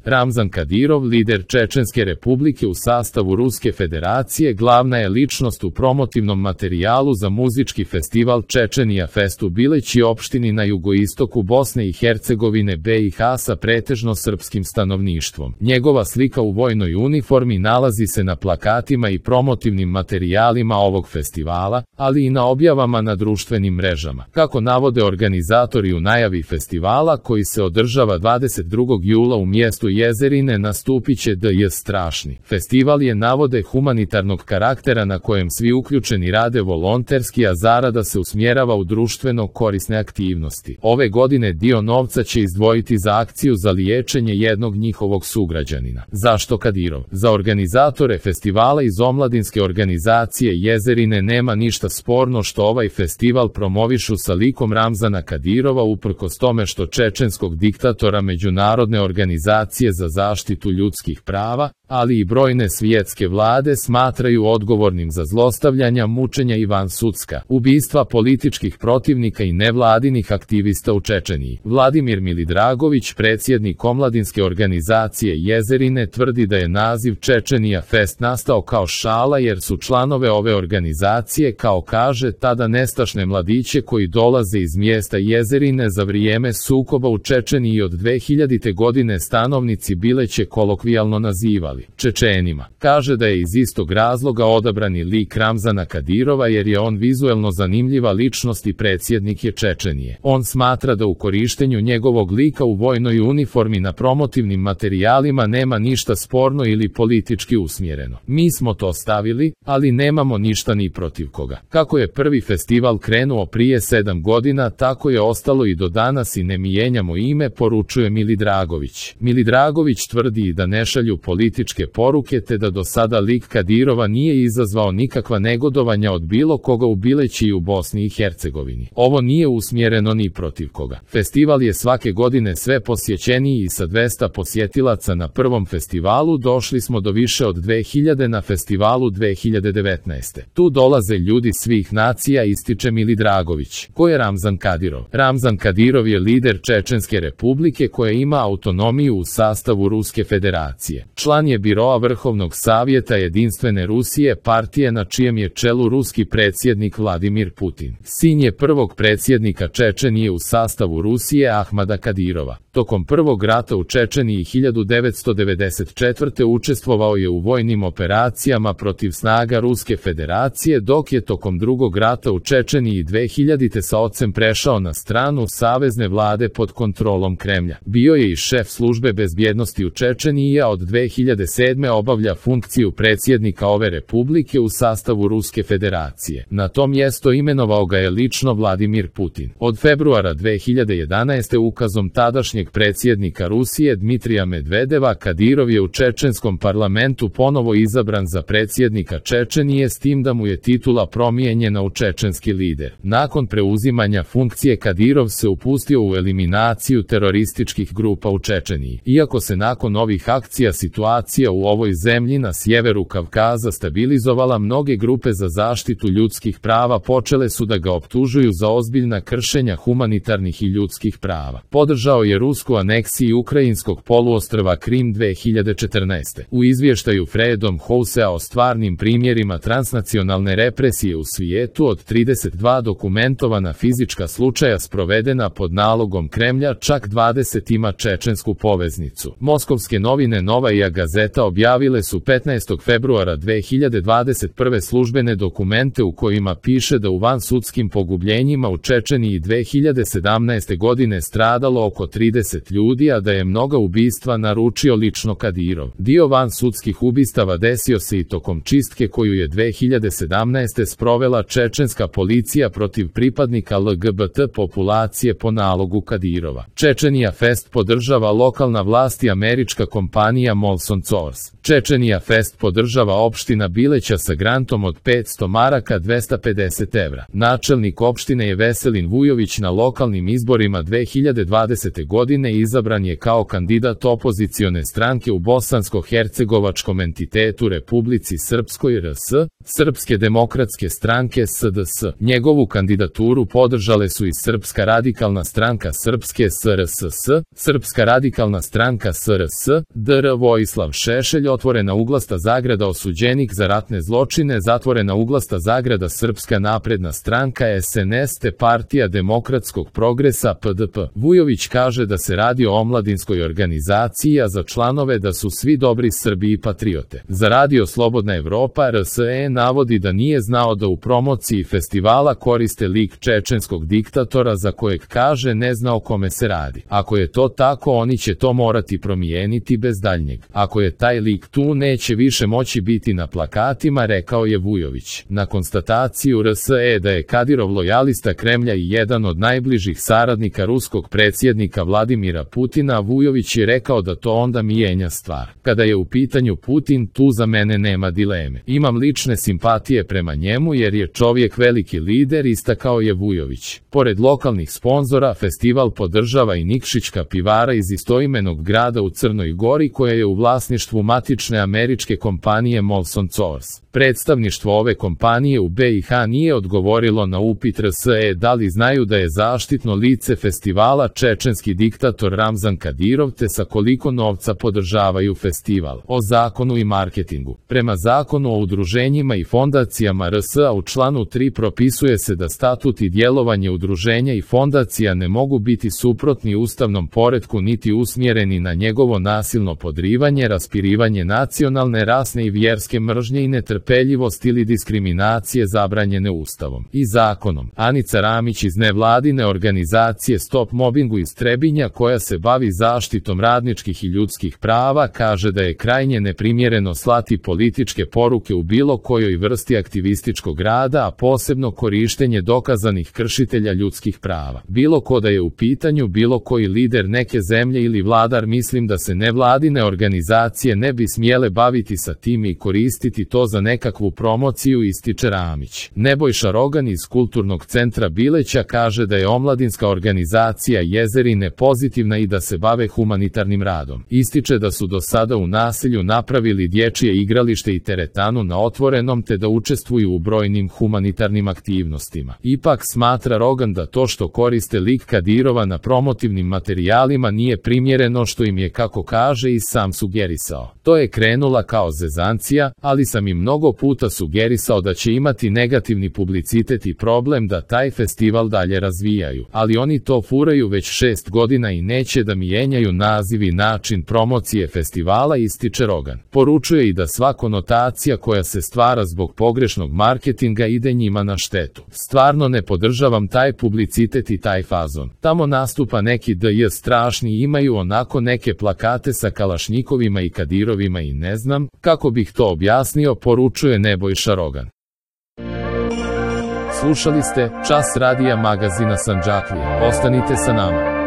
Ramzan Kadirov, lider Čečenske republike u sastavu Ruske federacije, glavna je ličnost u promotivnom materijalu za muzički festival Čečenija Fest u Bileći, opštini na jugoistoku Bosne i Hercegovine BiH sa pretežno srpskim stanovništvom. Njegova slika u vojnoj uniformi nalazi se na plakatima i promotivnim materijalima ovog festivala, ali i na objavama na društvenim mrežama. Kako navode organizatori u najavi festivala, koji se održava 22. jula u mjestu Jezerine, nastupiće D.J. Strašni. Festival je, navode, humanitarnog karaktera na kojem svi uključeni rade volonterski, a zarada se usmjerava u društveno korisne aktivnosti. Ove godine dio novca će izdvojiti za akciju za liječenje jednog njihovog sugrađanina. Zašto Kadirov? Za organizatore festivala iz omladinske organizacije Jezerine nema ništa sporno što ovaj festival promovišu sa likom Ramzana Kadirova, uprkos tome što čečenskog diktatora međunarodne organizacije za zaštitu ljudskih prava, ali i brojne svjetske vlade smatraju odgovornim za zlostavljanja, mučenja i vansudska ubistva političkih protivnika i nevladinih aktivista u Čečeniji. Vladimir Milidragović, predsjednik omladinske organizacije Jezerine, tvrdi da je naziv Čečenija Fest nastao kao šala jer su članove ove organizacije, kao kaže, tada nestašne mladiće koji dolaze iz mjesta Jezerine za vrijeme sukoba u Čečeniji od 2000. godine stanovnici Bileće kolokvijalno nazivali Čečenima. Kaže da je iz istog razloga odabrani lik Ramzana Kadirova jer je on vizuelno zanimljiva ličnost i predsjednik je Čečenije. On smatra da u korištenju njegovog lika u vojnoj uniformi na promotivnim materijalima nema ništa sporno ili politički usmjereno. Mi smo to stavili, ali nemamo ništa ni protiv koga. Kako je prvi festival krenuo prije 7 godina, tako je ostalo i do danas i ne mijenjamo ime, poručuje Milidragović. Milidragović tvrdi da ne šalju političke poruke te da do sada lik Kadirova nije izazvao nikakva negodovanja od bilo koga u Bileći i u Bosni i Hercegovini. Ovo nije usmjereno ni protiv koga. Festival je svake godine sve posjećeniji i sa 200 posjetilaca na prvom festivalu došli smo do više od 2000 na festivalu 2019. Tu dolaze ljudi svih nacija, ističe Milidragović. Ko je Ramzan Kadirov? Ramzan Kadirov je lider Čečenske republike koja ima autonomiju u sastavu Ruske federacije. Član je biroa Vrhovnog savjeta Jedinstvene Rusije, partije na čijem je čelu ruski predsjednik Vladimir Putin. Sin je prvog predsjednika Čečenije u sastavu Rusije Ahmada Kadirova. Tokom prvog rata u Čečeniji 1994. učestvovao je u vojnim operacijama protiv snaga Ruske federacije, dok je tokom drugog rata u Čečeniji 2000. sa ocem prešao na stranu savezne vlade pod kontrolom Kremlja. Bio je i šef službe bezbjednosti u Čečeniji, a od 2007. obavlja funkciju predsjednika ove republike u sastavu Ruske federacije. Na to mjesto imenovao ga je lično Vladimir Putin. Od februara 2011. ukazom tadašnjeg predsjednika Rusije Dmitrija Medvedeva, Kadirov je u čečenskom parlamentu ponovo izabran za predsjednika Čečenije, s tim da mu je titula promijenjena u čečenski lider. Nakon preuzimanja funkcije Kadirov se upustio u eliminaciju terorističkih grupa u Čečeniji. Iako se nakon ovih akcija situacija u ovoj zemlji na sjeveru Kavkaza stabilizovala, mnoge grupe za zaštitu ljudskih prava počele su da ga optužuju za ozbiljna kršenja humanitarnih i ljudskih prava. Podržao je rusku aneksiju ukrajinskog poluostrva Krim 2014. U izvještaju Freedom Housea o stvarnim primjerima transnacionalne represije u svijetu od 32 dokumentovana fizička slučaja sprovedena pod nalogom Kremlja, čak 20 ima čečensku poveznicu. Moskovske novine Novaja Gazeta objavile su 15. februara 2021. službene dokumente u kojima piše da u vansudskim pogubljenjima u Čečeniji 2017. godine stradalo oko 30 ljudi, a da je mnoga ubistva naručio lično Kadirov. Dio vansudskih ubistava desio se i tokom čistke koju je 2017. sprovela čečenska policija protiv pripadnika LGBT populacije po nalogu Kadirova. Čečenija Fest podržava lokalna vlast i američka kompanija Molson Source. Čečenija Fest podržava opština Bileća sa grantom od 500 maraka 250 evra. Načelnik opštine je Veselin Vujović na lokalnim izborima 2020. godine izabran je kao kandidat opozicione stranke u bosansko-hercegovačkom entitetu Republici Srpskoj RS, Srpske demokratske stranke SDS. Njegovu kandidaturu podržale su i Srpska radikalna stranka Srpske SRSS, Srpska radikalna stranka SRS, dr. Vojislav Šešelj, otvorena uglasta zagrada osuđenik za ratne zločine, zatvorena uglasta zagrada Srpska napredna stranka SNS te Partija demokratskog progresa PDP. Vujović kaže da se radi o omladinskoj organizaciji, a za članove da su svi dobri Srbi i patriote. Za Radio Slobodna Evropa RSE navodi da nije znao da u promociji festivala koriste lik čečenskog diktatora za kojeg kaže ne zna o kome se radi. Ako je to tako, oni će to morati promijeniti bez daljnjeg. Ako je taj lik tu, neće više moći biti na plakatima, rekao je Vujović. Na konstataciju RSE da je Kadirov lojalista Kremlja i jedan od najbližih saradnika ruskog predsjednika Vladimira Putina, Vujović je rekao da to onda mijenja stvar. Kada je u pitanju Putin, tu za mene nema dileme. Imam lične simpatije prema njemu jer je čovjek veliki lider, istakao je Vujović. Pored lokalnih sponzora, festival podržava i Nikšićka pivara iz istoimenog grada u Crnoj Gori koja je u vlasništvu matične američke kompanije Molson Coors. Predstavništvo ove kompanije u BiH nije odgovorilo na upit RSE da li znaju da je zaštitno lice festivala čečenski diktator Ramzan Kadirov te sa koliko novca podržavaju festival. O zakonu i marketingu. Prema zakonu o udruženjima i fondacijama RSA u članu 3 propisuje se da statut i djelovanje udruženja i fondacija ne mogu biti suprotni ustavnom poretku niti usmjereni na njegovo nasilno podrivanje, raspirivanje nacionalne, rasne i vjerske mržnje i netrpeljivost ili diskriminacije zabranjene Ustavom i zakonom. Anica Ramić iz nevladine organizacije Stop Mobbingu iz Trebinja koja se bavi zaštitom radničkih i ljudskih prava kaže da je krajnje neprimjereno slati političke poruke u bilo kojoj vrsti aktivističkog rada, a posebno korištenje dokazanih kršitelja ljudskih prava. Bilo ko da je u pitanju bilo koji lider neke zemlje ili vladar, mislim da se nevladine organizacije ne bi smjele baviti sa tim i koristiti to za nekakvu promociju, ističe Ramić. Nebojša Rogan iz Kulturnog centra Bileća kaže da je omladinska organizacija Jezerine pozitivna i da se bave humanitarnim radom. Ističe da su do sada u naselju napravili dječje igralište i teretanu na otvorenom te da učestvuju u brojnim humanitarnim aktivnostima. Ipak smatra Rogan da to što koriste lik Kadirova na promotivnim materijalima nije primjereno, što im je, kako kaže, i sam sugerisao. To je krenula kao zezancija, ali sam im mnogo puta sugerisao da će imati negativni publicitet i problem da taj festival dalje razvijaju. Ali oni to furaju već 6 godina i neće da mijenjaju naziv i način promocije festivala, ističe Rogan. Poručuje i da sva konotacija koja se stvara zbog pogrešnog marketinga ide njima na štetu. Stvarno ne podržavam taj publicitet i taj fazon. Tamo nastupa neki DJ strašni i imaju onako neke plakate sa Kalašnjikovima i Kadirovima i ne znam kako bih to objasnio, poručuje Nebojša Rogan. Slušali ste Čas radija magazina Sandžaklija. Ostanite sa nama.